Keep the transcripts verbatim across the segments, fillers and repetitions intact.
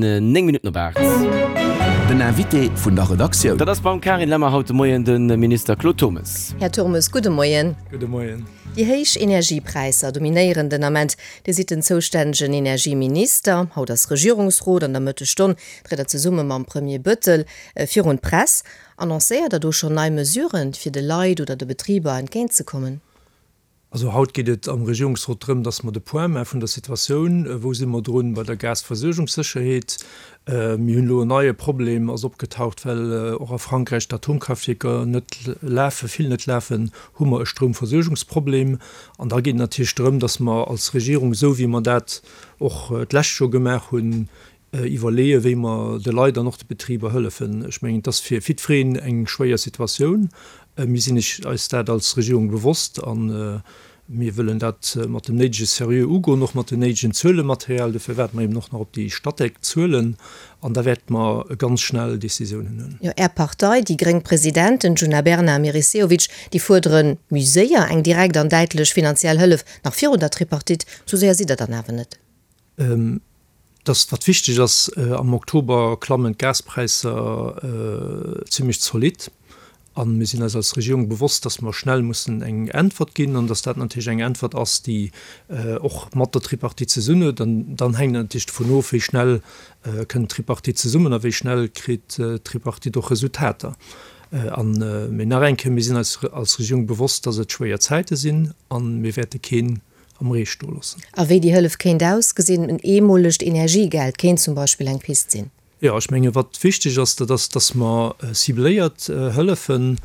néng Minutten op aacht. Den Invité vun der Redaktioun. Dat ass beim Carine Lemmer haut de Moien de Minister Claude Turmes. Här Turmes, gudde Moien. Gudde Moien. Déi héich Energiepräisser dominéieren den Ament. Dir sidd den zoustännegen Energieminister. Haut ass Regierungsrot. An der Mëttesstonn tritt Der zesumme mam Premier Bettel virun d'Press. Annoncéiert Der do schonn nei Mesuren, fir de Leit oder de Betriber entgéintzekommen? Also haut geet et am Regierungsrot drëm, dass mer de Point maache vun der Situatioun. Wou si mer drun bei der Gasversuergungssécherheet? Mir hunn elo en neie Problem ass opgetaucht, well och a Frankräich d'Atomkraftwierker net lafen, vill net lafen, hu mer e Stroumversuergungsproblem. An da geet et natierlech drëm, dass mer als Regierung, esou wéi mer dat och d'lescht Joer gemaach hunn, iwwerleeën, wéi mer de Leit an och de Betriber hëllefen. Ech mengen, et ass fir jiddwereen eng schwéier Situatioun. Mir sinn eis dat als Regierung bewosst a mir wëllen dat mat dem néidege Seriö ugoen, och mat dem néidegen Zuelematerial. Dofir waarde mer eben och nach op déi Statec-Zuelen an da wäerte mer ganz schnell Décisiounen huelen. Jo, Är Partei, déi gréng Presidenten Djuna Bernard a Meris Sehovic, déi fuerdere méi séier eng direkt an däitlech finanziell Hëllef, nach virun der Tripartite. Sou séier sidd Der dann awer net. Dass, wat wichteg ass, am Oktober klammen d'Gaspräisser zimlech zolidd. A mir sinn eis als Regierung bewosst, dass mer schnell mussen eng Äntwert ginn an dass dat natierlech eng Äntwert ass, déi och mat der Tripartite zesummen huet. An dann hänkt et natierlech dovun of, wéi schnell kënnt d'Tripartite zesummen a wéi schnell kritt d'Tripartite och Resultater. An, mee nach eng Kéier, mir sinn eis als Regierung bewosst, dass et schwéier Zäite sinn a mir wäerte keen am Ree stoe loossen. A wéi déi Hëllef kéint ausgesinn? En eemolegt Energiegeld kéint zum Beispill eng Pist sinn. Jo, ech menge wat wichteg ass, dat ass, datt mer cibléiert hëllefen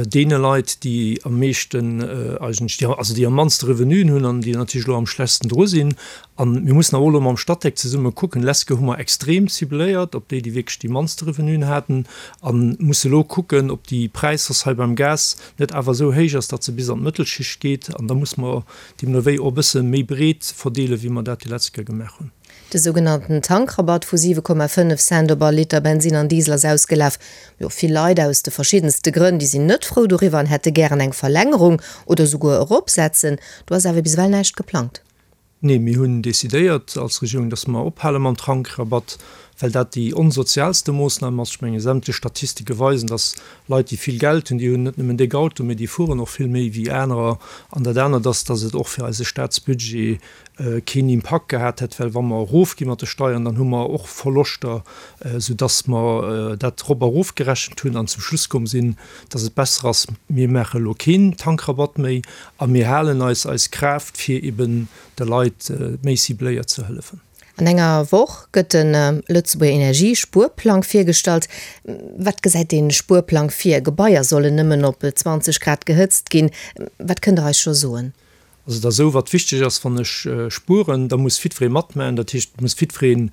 deene Leit, déi am meeschten eigentlech, déi, also déi am mannste Revenuen hunn an déi natierlech elo am schlechtsten dru sinn. A mir mussen awer och elo mam Statec zesumme kucken, Lescht Kéier hu mer extrem cibléiert op déi, déi wierklech déi mannste Revenuen haten, a musse elo kucken, ob déi Präishausse hei beim Gas net awer esou héich ass, datt se bis an d'Mëttelschicht geet. An da musse mer deemno wéi och e bësse méi breet verdeelen, wéi mer dat déi lescht Kéier gemaach hunn. De sougenannten Tankrabatt vu siwe Komma fënnef Cent op all Liter Bensin an Diesel ass ausgelaf. Jo, vill Leit aus de verschiddenste Grënn, déi sinn net frou doriwwer an hätte gären eng Verlängerung oder souguer eropsetzen. Do ass awer bis ewell näischt geplangt. Nee, mir hunn decidéiert als Regierung, datt mer ophale mam Tankrabatt, well dat déi onsozialste Moossnam ass. Ech menge sämtlech Statistike weisen, datt Leit, déi vill Geld hunn, déi hunn net nëmmen déck Auto, mee déi fueren och vill méi wéi anerer. An dat anert ass, datt et och fir eise Staatsbudget keen Impakt gehat hätt, well wa mer erofgi mat de Steiern, dann hu mer och Verloschter, soudatt mer dat erop a erofgerechent hunn an zum Schluss komm sinn, datt et besser ass, mir maache elo keen Tankrabatt méi a mir halen eis eis Kraaft, fir eben de Leit méi cibléiert ze hëllefen. An enger Woch gëtt de Lëtzebuerger Energiespuerplang virgestallt. Wat gesäit dee Spuerplang vir? Gebaier sollen nëmmen op zwanzeg Grad gehëtzt ginn. Wat kënnt Der eis scho soen? Also et ass esou, wat wichteg ass, wann ech spueren, da muss jiddweree matmaachen. Dat heescht, et muss jiddweree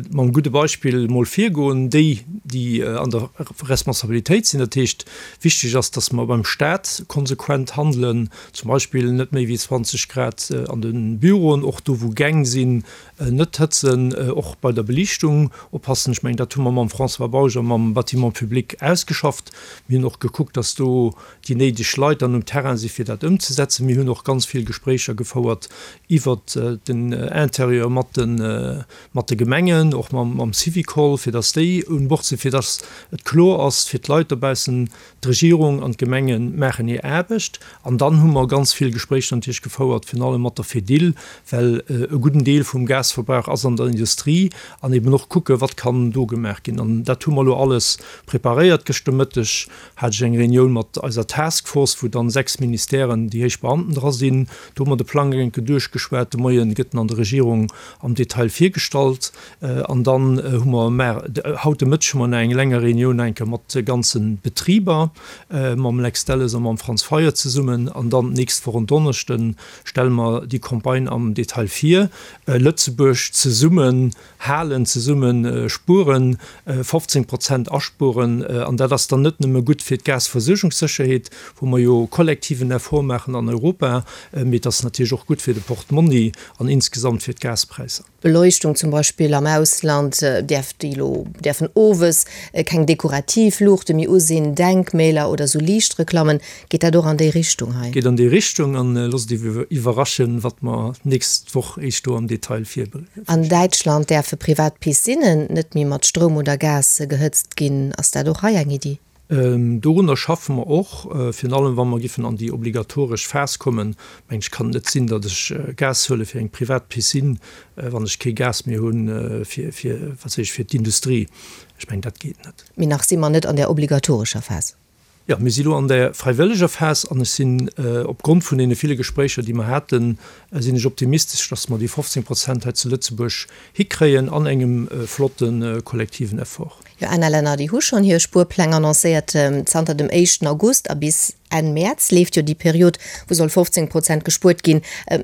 mam gudde Beispill mol virgoen, déi, déi an der Responsabilitéit sinn. Dat heescht, wichteg ass, datt mer beim Staat konsequent handelen, zum Beispill net méi wéi zwanzeg Grad an de Büroen, och do wou Gäng sinn, net hëtzen, och bei der Beliichtung oppassen. Ech mengen, dat hu mer mam François Bausch a mam Bâtiment public ausgeschafft. Mir hunn och gekuckt, datt do déi néideg Leit dann um Terrain si fir dat ëmzesetzen. Mir hunn och ganz vill Gespréicher gefouert iwwert den Interieur mat de mat de Gemengen, och mam mam Syvicol, fir datt déi un Bord sinn, fir datt et kloer ass fir d'Leit dobaussen, d'Regierung an d'Gemenge maachen hir Aarbecht. An dann hu mer ganz vill Gespréicher natierlech gefouert, virun allem mat der Fedil, well e gudden Deel vum Gasverbrauch ass an der Industrie, an eben och kucke wat kann do gemaach ginn. An dat hu mer elo alles preparéiert. Gëschter Mëtteg hat ech eng Reunioun mat eiser Task Force, wou dann sechs Ministèren, déi héich Beamten dra sinn. Do hu mer de Plang eng Kéier duerchgeschwat. De Moien gëtt en an der Regierung am Detail virgestallt. An dann hu mer mar, haut de Mëtteg hu mer nach eng länger Reunioun nach eng Kéier mat de ganze Betriber, mam Lex Delles a mam Franz Fayot zesummen. An dann d'nächst Woch en Donneschde stelle mer déi Campagne am Detail vir. Lëtzebuerg zesummen halen, zesumme spueren, fofzéng Prozent aspueren. An dat ass dann net nëmme gutt fir d'Gasversuergungssécherheet, wou mer jo kollektiven Effort maachen an Europa, mee et ass natierlech och gutt fir de Portmonni an insgesamt fir d'Gaspräisser. Beleuchtung zum Beispill am Ausland däerf déi elo, däerfen owes keng dekorativ Luuchte méi u sinn, Denkmäler oder sou Liichtreklammen. Geet dat och an déi Richtung hei? Geet an déi Richtung an loosst Iech iwwerraschen, wat mer d'nächst Woch Iech do am Detail virbréngen. An Däitschland däerfe privat Piscinnen net méi mat Stroum oder Gas gehëtzt ginn. Ass dat och hei eng Iddi? Dorunner schaffe mer och, virun allem wa mer giffen an déi obligatoresch Phas kommen. Mengen ech, kann et net sinn, datt ech Gas huele fir eng privat Piscine, wann ech kee Gas méi hunn fir, fir, wat weess ech, fir d'Industrie. Ech mengen, dat geet net. Mee nach si mer net an där obligatorescher Phas. Jo, mir si lo an der fräiwëlleger Phas an ech sinn, opgrond vun deene ville Gespréicher, déi mer haten, sinn ech optimistesch, dass mer déi fofzéng Prozent hei zu Lëtzebuerg hikréien an engem flotte kollektiven Effort. Jo, aner Länner, déi hu schonn hir Spuerpläng annoncéiert. Zanter dem éischten August a bis Enn Mäerz leeft jo déi Period, wou soll fofzéng Prozent gespuert ginn.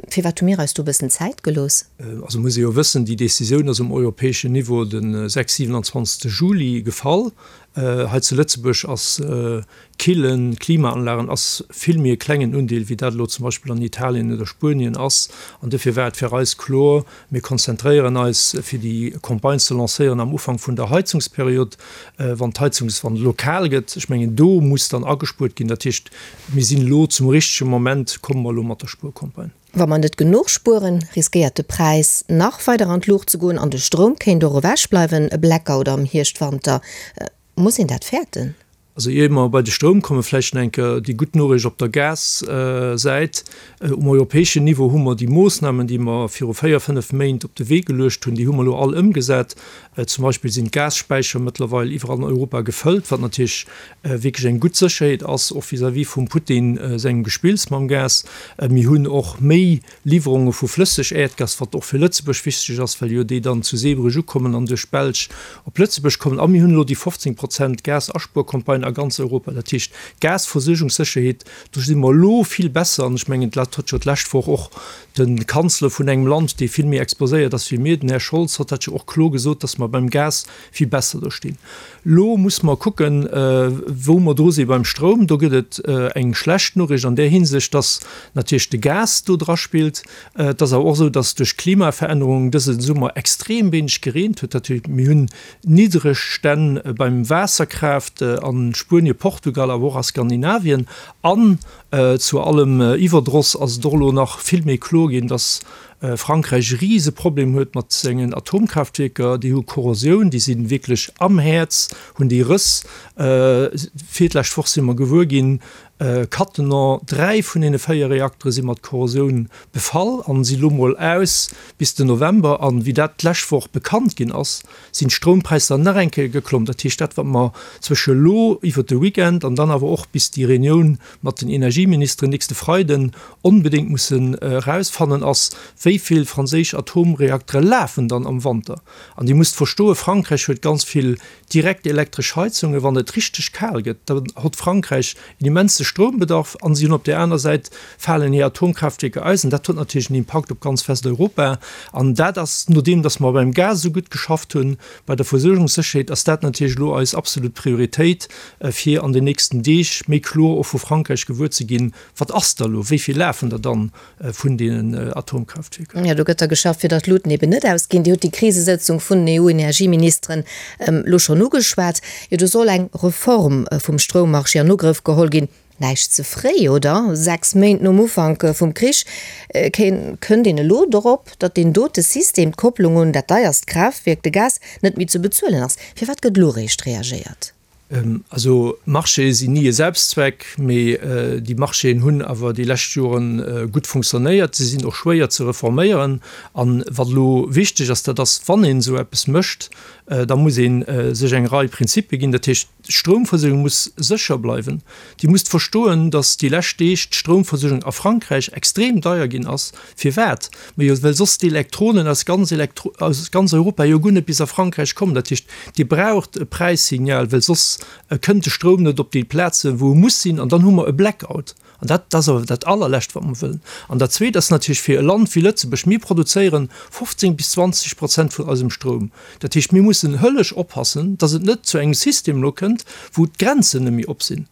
Firwat hu mir eis do e bëssen Zäit gelooss? Also muss ee jo wëssen, déi Decisioun ass um europäeschen Niveau de sechs siwenanzwanzegste Juli gefall. Hei zu Lëtzebuerg ass Killen, Klimaanlagen ass vill méi e klengen Undeel, wéi dat elo zum Beispill an Italien oder Spuenien ass. An dofir war et fir eis kloer, mir konzentréieren eis, fir déi Campagne ze lancéieren am Ufank vun der Heizungsperiod, wann d'Heizungs, wann et elo kal gëtt. Ech mengen, do muss dann agespuert ginn. Dat heescht, mir sinn elo zum richtege Moment, komme mer elo mat der Spuercampagne. Wa mer net genuch spueren, riskéiert de Präis nach weider an d'Luucht ze goen an de Stroum kéint och ewechbleiwen, e Blackout am Hierscht-Wanter. Muss een dat fäerten? Also ier mer bei de Stroum kommen, vläicht nach eng Kéier déi gutt Noriicht op der Gassäit. Um europäeschen Niveau hu mer déi Moosnamen, déi mer viru véier, fënnef Méint op de Wee geluecht hunn, déi hu mer elo all ëmgesat. Zum Beispill sinn d'Gasspäicher mëttlerweil iwwerall an Europa gefëllt, wat natierlech wierklech eng gutt Sécherheet ass, och vis-à-vis vum Putin sengem Gespills mam Gas. Mir hunn och méi Liwwerunge vu Flësseg-Äerdgas, wat och fir Lëtzebuerg wichteg ass, well jo déi dann zu Zeebrugge ukommen an duerch d'Belsch op Lëtzebuerg kommen. A mir hunn elo déi fofzéng Prozent Gasaspuercampagne a ganz Europa. Dat heescht, d'Gasversuergungssécherheet, do si mer elo vill besser. An ech mengen, dat huet jo d'lescht Woch och de Kanzler vun engem Land, dee vill méi exposéiert ass wéi mir, den Här Scholz, huet dat jo och kloer gesot, datt mer beim Gas vill besser do stinn. Elo muss mer kucken, wou mer dru si beim Stroum. Do gëtt et eng schlecht Noriicht an där Hinsicht, datt natierlech de Gas do draspillt. Et ass awer och esou, datt duerch d'Klimaverännerung dëse Summer extrem wéineg gereent huet. Dat heescht, mir hunn niddreg Stänn beim Waasserkraaft a Spuenien, Portugal, awer och a Skandinavien. An zu allem Iwwerdross ass et och elo nach vill méi kloer ginn, datt Frankräich e rise Problem huet mat sengen Atomkraaftwierker. Déi hu Korrosioun, déi si wierklech am Häerz, hunn déi Rëss. Virlescht Woch si mer gewuer ginn, Cattenom, dräi vun deene véier Reaktere si mat Korrosioun befall an si lo mol aus bis den November. An wéi dat d'lescht Woch bekannt ginn ass, sinn d'Stroumpräisser nach eng Kéier geklomm. Dat heescht, dat wat mer zwësche lo iwwert de Weekend an dann awer och bis déi Reunioun mat den Energieministeren nächste Freiden onbedéngt mussen erausfannen, ass, wéi vill franséisch Atomreaktere lafen dann am Wanter. An Dir musst verstoen, Frankräich huet ganz vill direkt elektresch Heizungen. Wann et richteg kal gëtt, da hott Frankräich en immense Stroumbedarf an si hunn op där aner Säit falen hir Atomkraaftwierker aus. An dat huet natierlech en Impakt op ganz Westeuropa. An dat ass, nodeem datt mer beim Gas esou gutt geschafft hunn, bei der Versuergungssécherheet, ass dat natierlech elo eis absolut Prioritéit, fir an den nächsten Deeg méi kloer och vu Frankräich gewuer ze ginn, Wat ass da elo, wéi vill lafen der dann vun deenen Atomkraaftwierker? Jo, do gëtt da geschafft, fir datt d'Luuten eben net ausginn. Dir hutt déi Krisesëtzung vun den E U-Energieministeren elo schonn ugeschwat. Jo, do soll eng Reform vum Stroummarché an Ugrëff geholl ginn. Näischt ze fréi, oder? Sechs Méint nom Ufank vum Krich kënnt een elo dorop, datt deen dote System, d'Kopplung un dat deierst Kraaftwierk, de Gas, net méi ze bezuelen ass. Firwat gëtt elo eréischt reagéiert? Also Marchéë sinn ni e Selbstzweck, mee déi Marchéen hunn awer déi lescht Jore gutt funktionéiert. Se sinn och schwéier ze reforméieren. An wat elo wichteg ass, dat ass, wann een esou eppes mécht, da muss ee sech eng Rei Prinzipie ginn. Dat heescht, d'Stroumversuergung muss sécher bleiwen. Dir musst verstoen, datt déi lescht Deeg d'Stroumversuergung a Frankräich extrem deier ginn ass. Firwat? Majo, well soss d'Elektronen aus ganz Elektro aus ganz Europa jo guer net bis a Frankräich kommen. Dat heescht, Dir braucht e Präissignal, well soss kënnt de Stroum net op déi Plazen, wou e muss sinn, an dann hu mer e Blackout. An dat ass awer dat Allerlescht, wat mer wëllen. An dat Zweet ass natierlech fir e Land wéi Lëtzebuerg, mir produzéieren fofzéng bis zwanzeg Prozent vun eisem Stroum. Dat heescht, mir mussen hëllesch oppassen, dass et net zu engem System elo kënnt, wou d'Grenzen net méi op sinn.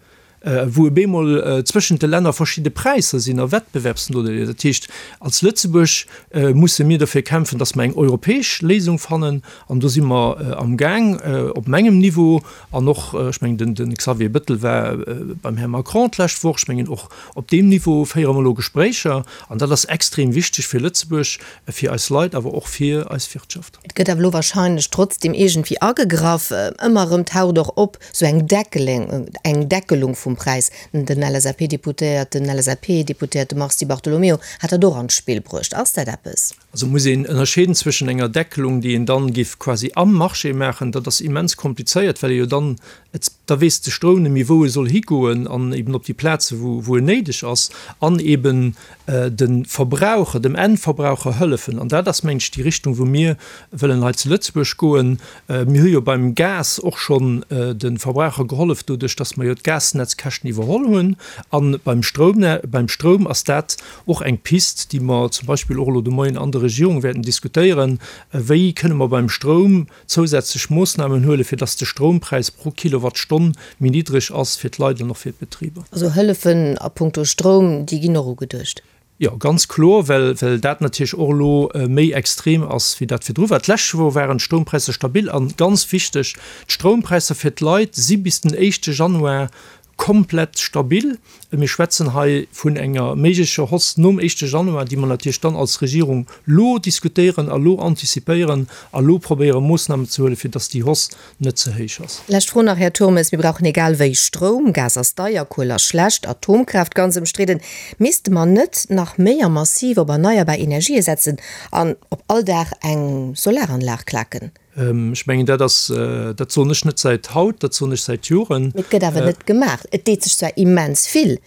wou op eemol zwëschent de Länner verschidde Präisser sinn a Wettbewerbsnodeeler. Dat heescht, als Lëtzebuerg musse mir dofir kämpfen, dass mer eng europäesch Léisung fannen, an do si mer amgaang op mengem Niveau an och, ech mengen, den Xavier Bettel war beim Här Macron d'lescht Woch, ech mengen, och op deem Niveau féiere mer elo Gespréicher an dat ass extrem wichteg fir Lëtzebuerg, fir eis Leit, awer och fir eis Wirtschaft. Et gëtt awer elo wahrscheinlech trotzdem iergendwéi agegraff. Ëmmer erëm taucht och op esou eng Deckeleng, eng Deckelung vum Präis. Den LSAP-Deputéierten, LSAP-Deputéierte Mars Di Bartolomeo hat dat och an d'Spill bruecht. Ass dat eppes? Also muss een ënnerscheeden zwëschen enger Deckelung, déi een dann géif quasi am Marché maachen, dat ass immens komplizéiert, well ee jo dann, et, da weess de Stroum net méi wou e soll higoen an eben op déi Plaze wou, wou en néideg ass, an eben de Verbraucher, dem Endverbraucher hëllefen. An dat ass, mengen ech, déi Richtung wou mir wëllen hei zu Lëtzebuerg goen. Mir hu jo beim Gas och schonn de Verbraucher gehollef doduerch, datt mer jo d'Gasnetzkäschten iwwerholl hunn. A beim Stroum, beim Stroum ass dat och eng Pist, déi mer zum Beispill och elo de Moien an der Regierung wäerten diskutéieren, Wéi kënne mer beim Stroum zousätzlech Moossnamen huelen, fir datt de Stroumpräis pro Kilowattstonn méi niddreg ass fir d'Leit an och fir d'Betriber? Also Hëllefen a punkto Stroum, déi ginn och ugeduecht? Jo, ganz kloer, well well dat natierlech och elo méi extrem ass, wéi dat virdru war. D'lescht Joer waren d'Stroumpräisser stabil an, ganz wichteg, d'Stroumpräisser fir d'Leit si bis den éischte Januar komplett stabil. Mir schwätzen hei vun enger méiglecher Hausse nom éischte Januar, déi mer natierlech dann als Regierung elo diskutéieren a lo antizipéieren a lo probéiere Moossnamen ze huelen, fir dass déi Hausse net ze héich ass. Lescht Fro nach, Här Turmes, Mir brauchen egal wéi Stroum. Gas ass deier, Kuel ass schlecht, Atomkraaft ganz ëmstridden. Misste mer net nach méi a massiv op erneierbar Energië setzen an op all Daach eng Solaranlag klaken? Ech mengen, dat ass, dat soen ech net säit haut, dat soen ech säit Joren. Mee et gëtt awer net gemaach. Et deet sech zwar immens vill,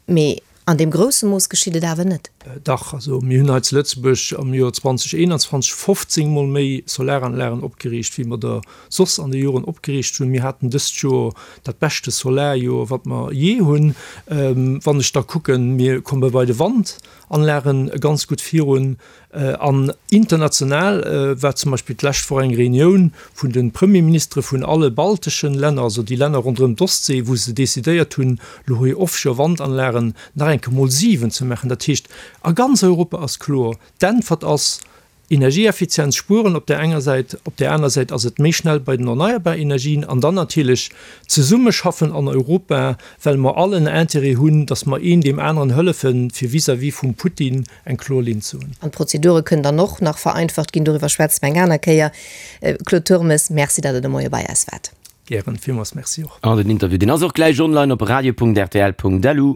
mee an deem grousse Mooss geschitt et awer net. Dach, also mir hunn hei zu Lëtzebuerg am Joer zweitausendeenundzwanzeg fofzéng Mol méi Solaranlagen opgeriicht, wéi mer der soss an de Joren opgeriicht hunn. Mir haten dëst Joer dat beschte Solarjoer, wat mer jee hunn. Wann ech da kucken, mir komme bei de Wandanlagen ganz gutt virun. An international war zum Beispill d'lescht Woch eng Reunioun vun de Premierministere vun alle balteschen Länner, also déi Länner ronderëm d'Ostsee, wou se decidéiert hunn, elo hir Offshore-Wandanlagen nach eng Kéier mol siwen ze maachen. Dat heescht, a ganz Europa ass kloer, d'Äntwert ass Energieeffizienz spueren op där enger Säit, op där aner Säit ass et méi schnell bei den erneierbar Energien an dann natierlech zesummeschaffen an Europa, well mer all en Intérêt hunn, datt mer een deem aneren hëllefen, fir vis-à-vis vum Putin eng kloer Linn ze hunn. An d'Prozedure kënnen dann och nach vereinfacht ginn. Doriwwer schwätze mer eng aner Kéier. Claude Turmes, Merci, datt Der de Moie bei eis waart. Gären, villmools Merci och. An den Interview, deen ass och gläich online op radio punkt rtl punkt lu.